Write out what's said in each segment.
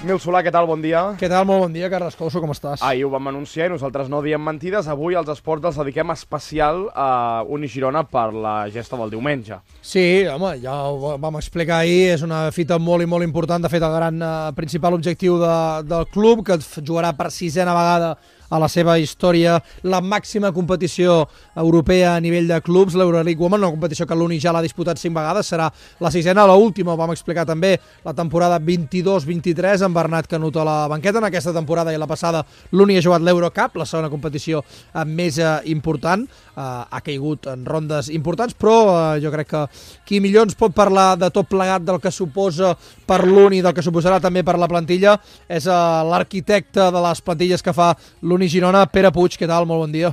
Ismael Solà, què tal? Bon dia. Què tal? Molt bon dia, Carles Couso, com estàs? Ahir ho vam anunciar i nosaltres no diem mentides. Avui als esports els dediquem especial a Uni Girona per la gesta del diumenge. Sí, home, ja ho vam explicar ahir, és una fita molt i molt important, de fet el gran principal objectiu del club, que jugarà per 6a vegada a la seva història la màxima competició europea a nivell de clubs, l'Euroleague Women, una competició que l'Uni ja l'ha disputat 5 vegades, serà la 6a, l'última, ho vam explicar també, la temporada 22-23, amb Bernat Canut a la banqueta. En aquesta temporada i la passada l'Uni ha jugat l'Eurocup, la segona competició més important, ha caigut en rondes importants, però jo crec que qui millor ens pot parlar de tot plegat, del que suposa per l'Uni, del que suposarà també per la plantilla, és l'arquitecte de les plantilles que fa l'Uni Girona, Pere Puig. Què tal? Molt bon dia.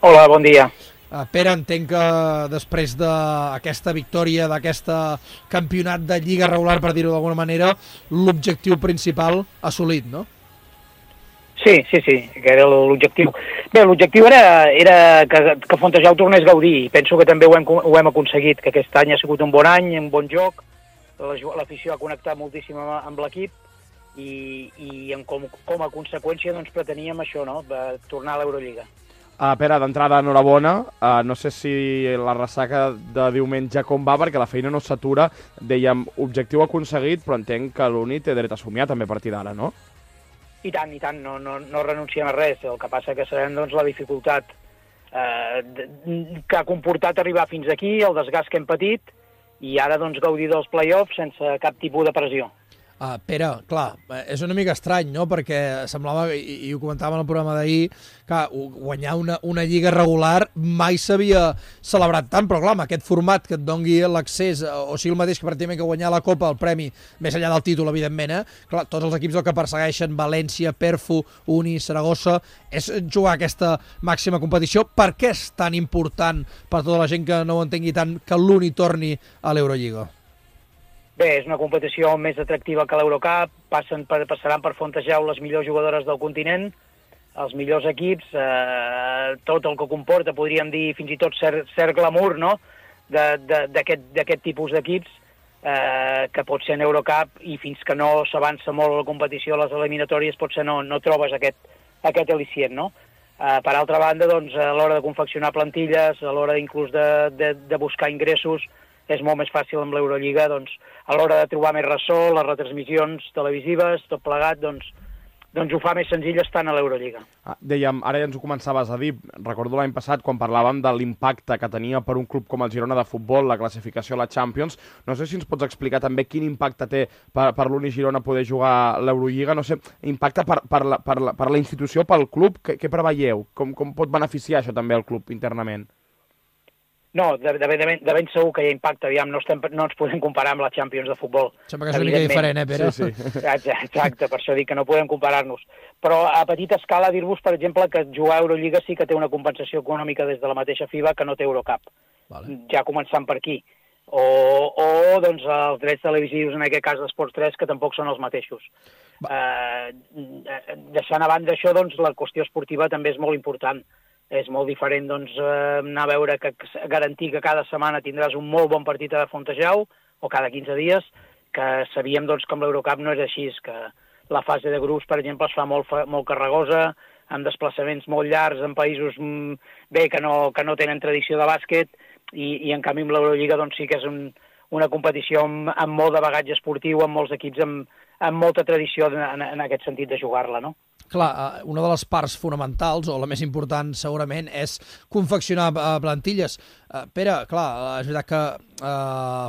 Hola, bon dia. Pere, entenc que després d'aquesta victòria, d'aquest campionat de Lliga regular, per dir-ho d'alguna manera, l'objectiu principal assolit, no? Sí, que era l'objectiu. Bé, l'objectiu era que Fontejau tornés a gaudir. Penso que també ho hem aconseguit, que aquest any ha sigut un bon any, un bon joc, l'afició ha connectat moltíssim amb l'equip i com a conseqüència doncs, preteníem això, no? Tornar a l'Eurolliga. Pere, d'entrada, enhorabona. No sé si la ressaca de diumenge com va, perquè la feina no s'atura. Dèiem, objectiu aconseguit, però entenc que l'Uni té dret a somiar també a partir d'ara, no? I tant, no renunciem a res. El que passa que sabem doncs, la dificultat que ha comportat arribar fins aquí, el desgast que hem patit, i ara doncs, gaudir dels play-offs sense cap tipus de pressió. Pere, clar, és una mica estrany, no?, perquè semblava, i ho comentàvem en el programa d'ahir, que guanyar una lliga regular mai s'havia celebrat tant, però clar, amb aquest format que et dongui l'accés, o sigui el mateix que pràcticament que guanyar la Copa, el premi, més enllà del títol, evidentment, clar, tots els equips el que persegueixen, València, Perfo, Uni, Saragossa, és jugar aquesta màxima competició. Per què és tan important, per tota la gent que no ho entengui tant, que l'Uni torni a l'Eurolliga? Bé, és una competició més atractiva que l'Eurocup, passaran per Fontejau les millors jugadores del continent, els millors equips, tot el que comporta, podríem dir fins i tot cert glamour, no?, d'aquest tipus d'equips, que pot ser en Eurocup, i fins que no s'avança molt la competició a les eliminatòries potser no trobes aquest al·licient, no? Per altra banda, doncs, a l'hora de confeccionar plantilles, a l'hora inclús de buscar ingressos, és molt més fàcil amb l'Eurolliga, doncs, a l'hora de trobar més ressò, les retransmissions televisives, tot plegat, doncs ho fa més senzill estant a l'Eurolliga. Dèiem, ara ja ens ho començaves a dir, recordo l'any passat quan parlàvem de l'impacte que tenia per un club com el Girona de futbol la classificació a la Champions. No sé si ens pots explicar també quin impacte té per l'Uni Girona poder jugar l'Eurolliga, no sé, impacte per la institució, pel club, què preveieu? Com pot beneficiar això també el club internament? No, de ben segur que hi ha impacte, aviam, no ens podem comparar amb la Champions de futbol. Sembla que és una mica diferent, Pere? Sí. Exacte, per això dic que no podem comparar-nos. Però a petita escala dir-vos, per exemple, que jugar a Eurolliga sí que té una compensació econòmica des de la mateixa FIBA que no té Eurocup. Vale. Ja començant per aquí. O doncs, els drets televisius, en aquest cas d'Esports 3, que tampoc són els mateixos. Deixant a banda això, doncs, la qüestió esportiva també és molt important. És molt diferent doncs, anar a veure garantir que cada setmana tindràs un molt bon partit a Fontejau, o cada 15 dies, que sabíem doncs, que amb l'Eurocup no és així, que la fase de grups, per exemple, es fa molt carregosa, amb desplaçaments molt llargs en països que no tenen tradició de bàsquet, i en canvi amb l'Eurolliga doncs, sí que és una competició amb molt de bagatge esportiu, amb molts equips amb molta tradició en aquest sentit de jugar-la, no? Clar, una de les parts fonamentals, o la més important segurament, és confeccionar plantilles. Pere, clar, és veritat que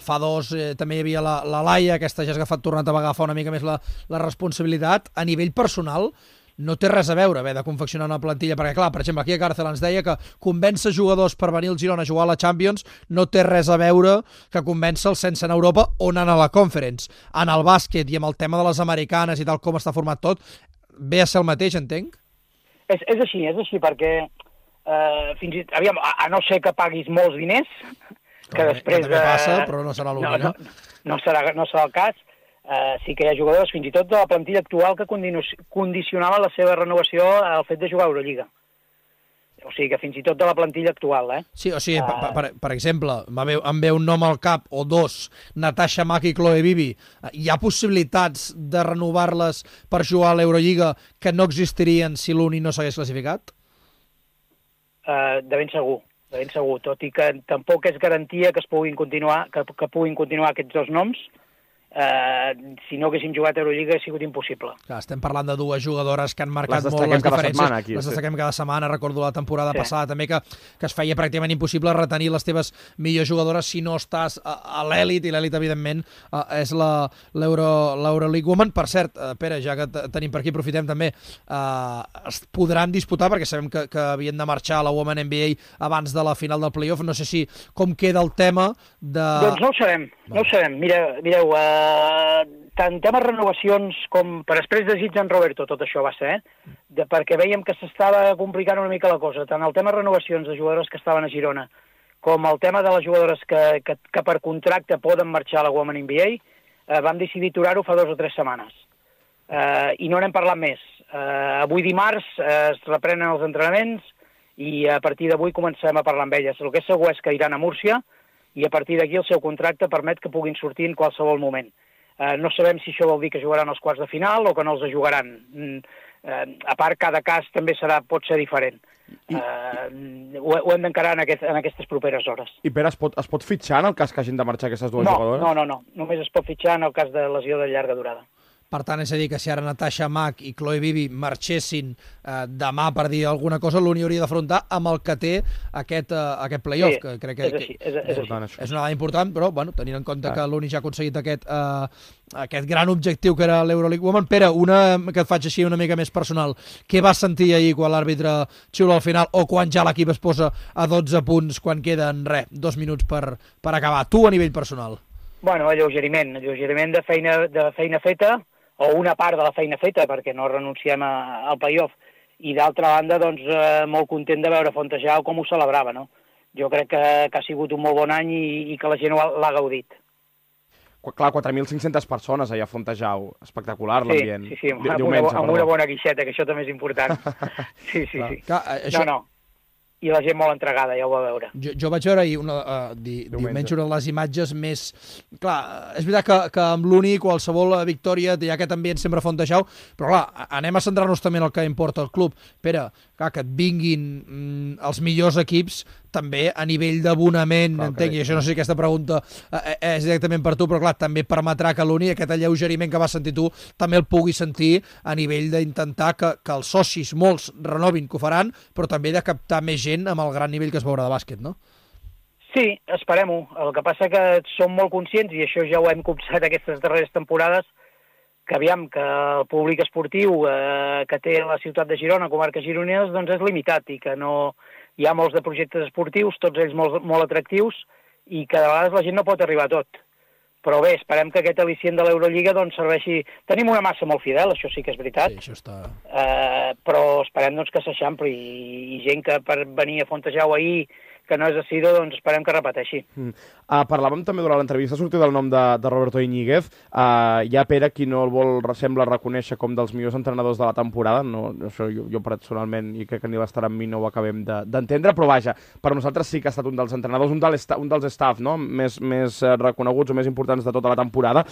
fa dos també hi havia la Laia, aquesta ja ha tornat a agafar una mica més la responsabilitat. A nivell personal, no té res a veure haver de confeccionar una plantilla, perquè clar, per exemple, aquí a Càrcel ens deia que convèncer jugadors per venir al Girona a jugar a la Champions no té res a veure que convèncer-los sense anar a Europa o anant a la Conference. En el bàsquet i amb el tema de les americanes i tal com està format tot, ve a ser el mateix, entenc? És així, perquè aviam, a no ser que paguis molts diners, que després... Que també passa, però no serà l'únic, no? No serà el cas. Sí que hi ha jugadors, fins i tot de la plantilla actual, que condicionaven la seva renovació al fet de jugar a Eurolliga. O sigui que fins i tot de la plantilla actual, Sí, o sigui, per exemple, em ve un nom al cap, o dos, Natasha Mack i Chloe Bibi. Hi ha possibilitats de renovar-les per jugar a l'Eurolliga que no existirien si l'Uni no s'hagués classificat? De ben segur, tot i que tampoc és garantia que es puguin continuar, que puguin continuar aquests dos noms. Si no haguéssim jugat a Eurolliga ha sigut impossible. Clar, estem parlant de dues jugadores que han marcat molt les diferències. Les destaquem cada setmana. Recordo la temporada passada també que es feia pràcticament impossible retenir les teves millors jugadores si no estàs a l'elit, i l'elit, evidentment, és l'Euroleague Women. Per cert, Pere, ja que tenim per aquí, aprofitem també, es podran disputar, perquè sabem que havien de marxar a la Women NBA abans de la final del playoff. No sé si com queda el tema de... Doncs no ho sabem. Mireu, tant temes renovacions com per després desig en Roberto, tot això va ser, perquè veiem que s'estava complicant una mica la cosa, tant el tema renovacions de jugadores que estaven a Girona com el tema de les jugadores que per contracte poden marxar a la Women NBA, vam decidir aturar-ho fa 2 o 3 setmanes. I no n'hem parlat més. Avui dimarts es reprenen els entrenaments i a partir d'avui comencem a parlar amb elles. El que és segur és que iran a Múrcia, i a partir d'aquí el seu contracte permet que puguin sortir en qualsevol moment. No sabem si això vol dir que jugaran els quarts de final o que no els jugaran. A part, cada cas també pot ser diferent. Ho hem d'encarar en aquestes properes hores. I Pere, es pot fitxar en el cas que hagin de marxar aquestes dues jugadores? No. Només es pot fitxar en el cas de lesió de llarga durada. Per tant, és a dir, que si ara Natasha Mack i Chloe Bibi marxessin demà, per dir alguna cosa, l'Uni hauria d'afrontar amb el que té aquest playoff, que crec que és una dada important, però tenint en compte que l'Uni ja ha aconseguit aquest gran objectiu que era l'Euroleague Women. Pere, una que et faig així una mica més personal. Què vas sentir ahir quan l'àrbitre xiula al final, o quan ja l'equip es posa a 12 punts, quan queden, 2 minuts per acabar? Tu, a nivell personal. Alleugeriment de feina feta, o una part de la feina feta, perquè no renunciem al playoff, i d'altra banda, molt content de veure Fontejau com ho celebrava, no? Jo crec que ha sigut un molt bon any i que la gent l'ha gaudit. Clar, 4.500 persones allà a Fontejau, espectacular l'ambient. Sí, amb una bona guixeta, que això també és important. Sí. No. I la gent molt entregada, ja ho va veure. Jo vaig veure ahir diumenge una de les imatges més... Clar, és veritat que amb l'Uni qualsevol victòria hi ha aquest ambient sempre a Fontejau, però clar, anem a centrar-nos també en el que importa el club. Pere, clar, que et vinguin els millors equips també a nivell d'abonament, entenc, i això no sé si aquesta pregunta és directament per tu, però clar, també permetrà que l'Uni, aquest alleugeriment que vas sentir tu, també el pugui sentir a nivell d'intentar que els socis, molts, renovin, que ho faran, però també de captar més gent amb el gran nivell que es veurà de bàsquet, no? Sí, esperem-ho. El que passa que som molt conscients, i això ja ho hem copsat aquestes darreres temporades, que aviam, que el públic esportiu que té la ciutat de Girona, comarques gironines, doncs és limitat, i que no... Hi ha molts de projectes esportius, tots ells molt atractius, i que de vegades la gent no pot arribar a tot. Però bé, esperem que aquest al·licient de l'Eurolliga serveixi... Tenim una massa molt fidel, això sí que és veritat, sí, això està... però esperem que s'eixampli, i gent que per venir a Fontejau ahir, que no és assidu, doncs esperem que repeteixi. Parlàvem també durant l'entrevista, ha sortit el nom de Roberto Iñiguez. Hi ha Pere, qui no el sembla reconèixer com dels millors entrenadors de la temporada. No, això jo personalment, i crec que ni l'estar amb mi no ho acabem d'entendre, però vaja, per nosaltres sí que ha estat un dels entrenadors, un dels staff, no?, més reconeguts o més importants de tota la temporada.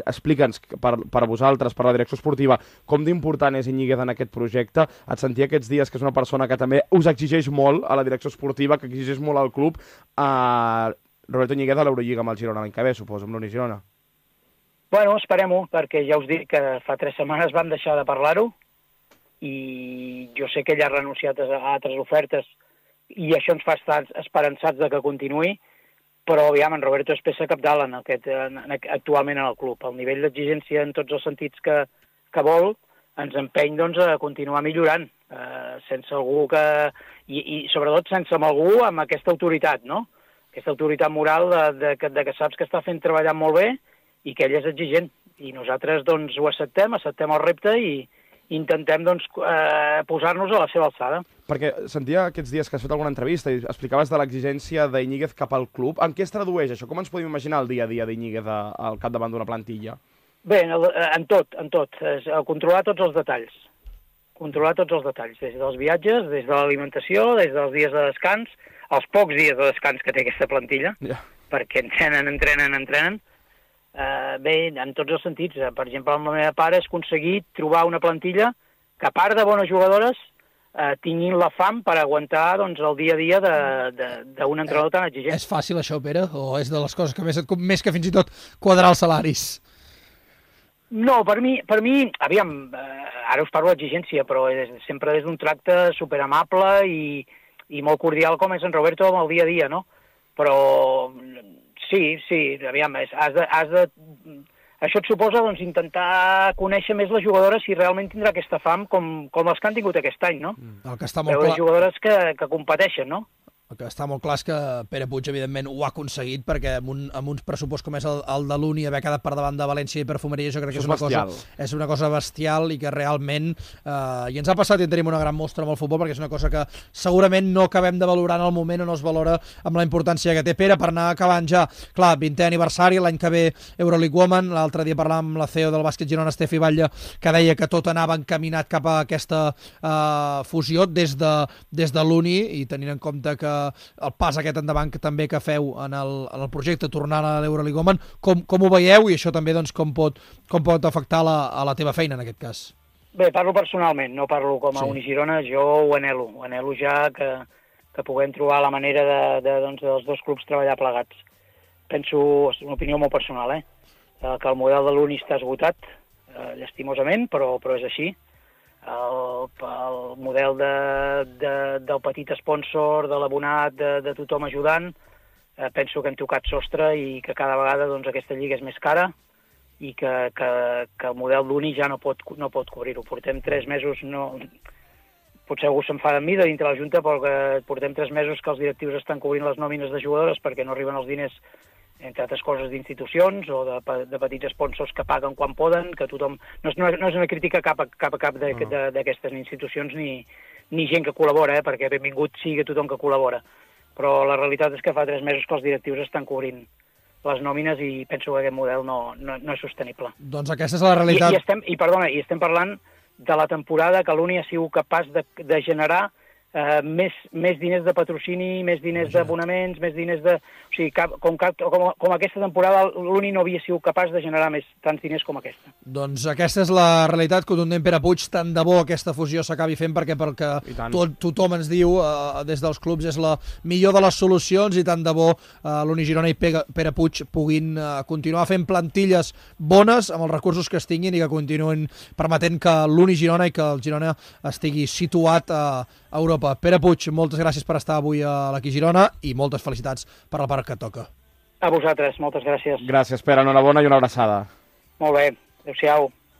Explica'ns, per vosaltres, per la direcció esportiva, com d'important és Iñiguez en aquest projecte. Et sentia aquests dies que és una persona que també us exigeix molt a la direcció esportiva, que exigeix molt al club. Roberto Iñiguez a l'Eurolliga amb el Girona l'any que ve, suposo, amb l'Uni Girona. Bueno, esperem-ho, perquè ja us dic que fa 3 setmanes vam deixar de parlar-ho, i jo sé que ell ha renunciat a altres ofertes, i això ens fa estar esperançats de que continuï, però aviam, en Roberto és peça cabdal actualment en el club. El nivell d'exigència en tots els sentits que vol ens empeny a continuar millorant, sense algú que... I sobretot sense algú amb aquesta autoritat, no? Aquesta autoritat moral de que saps que està fent treballant molt bé i que ell és exigent. I nosaltres ho acceptem el repte i intentem posar-nos a la seva alçada. Perquè sentia aquests dies que has fet alguna entrevista i explicaves de l'exigència d'Iñiguez cap al club. En què es tradueix això? Com ens podem imaginar el dia a dia d'Iñiguez al capdavant d'una plantilla? Bé, en tot. Controlar tots els detalls. controlar tots els detalls, des dels viatges, des de l'alimentació, des dels dies de descans, els pocs dies de descans que té aquesta plantilla, perquè entrenen. Bé, en tots els sentits. Per exemple, amb la meva pare és aconseguir trobar una plantilla que, a part de bones jugadores, tinguin la fam per aguantar doncs, el dia a dia d'un entrenador tan exigent. És fàcil això, Pere? O és de les coses que més que fins i tot quadrar els salaris? No, per mi, aviam, ara us parlo d'exigència, però sempre des d'un tracte superamable i molt cordial com és en Roberto amb el dia a dia, no? Però sí, aviam, això et suposa doncs, intentar conèixer més les jugadores si realment tindrà aquesta fam com les que han tingut aquest any, no? El que està molt clar. Jugadores que competeixen, no? El que està molt clar és que Pere Puig, evidentment, ho ha aconseguit, perquè amb uns pressupost com és el de l'Uni, haver quedat per davant de València i Perfumeria, jo crec que és una cosa bestial i que realment, i ens ha passat i en tenim una gran mostra amb el futbol, perquè és una cosa que segurament no acabem de valorar en el moment o no es valora amb la importància que té. Pere, per anar acabant ja, clar, 20è aniversari, l'any que ve Euroleague Women, l'altre dia parlàvem amb la CEO del bàsquet Girona, Estefi Batlle, que deia que tot anava encaminat cap a aquesta fusió des de l'Uni, i tenint en compte que el pas aquest endavant que també que feu en el projecte tornant a l'Euroleague Women, com ho veieu, i això també doncs, com pot afectar a la teva feina en aquest cas? Bé, parlo personalment, no parlo com a Unigirona, jo ho anhelo ja que puguem trobar la manera dels dos clubs treballar plegats. Penso, és una opinió molt personal, que el model de l'Uni està esgotat, llastimosament, però és així. El model del petit sponsor, de l'abonat, de tothom ajudant, penso que hem tocat sostre i que cada vegada doncs, aquesta lliga és més cara i que el model d'Uni ja no pot cobrir-ho. Portem 3 mesos, potser algú s'enfada amb mi de dintre la Junta, però que portem 3 mesos que els directius estan cobrint les nòmines de jugadores perquè no arriben els diners, entre altres coses, d'institucions o de petits sponsors que paguen quan poden, que tothom... No és una crítica cap d'aquestes institucions ni gent que col·labora, perquè benvingut sigui tothom que col·labora. Però la realitat és que fa 3 mesos que els directius estan cobrint les nòmines i penso que aquest model no és sostenible. Doncs aquesta és la realitat. I estem parlant de la temporada que l'Uni ha sigut capaç de generar més diners de patrocini, més diners d'abonaments, més diners de... O sigui, com aquesta temporada l'Uni no havia sigut capaç de generar tants diners com aquesta. Doncs aquesta és la realitat contundent, Pere Puig. Tant de bo aquesta fusió s'acabi fent, perquè pel que tothom ens diu des dels clubs és la millor de les solucions, i tant de bo l'Uni Girona i Pere Puig puguin continuar fent plantilles bones amb els recursos que es tinguin i que continuïn permetent que l'Uni Girona i que el Girona estigui situat a Europa. Pere Puig, moltes gràcies per estar avui a l'Aqui Girona i moltes felicitats per la part que toca. A vosaltres, moltes gràcies. Gràcies, Pere, enhorabona i una abraçada. Molt bé, adéu-siau.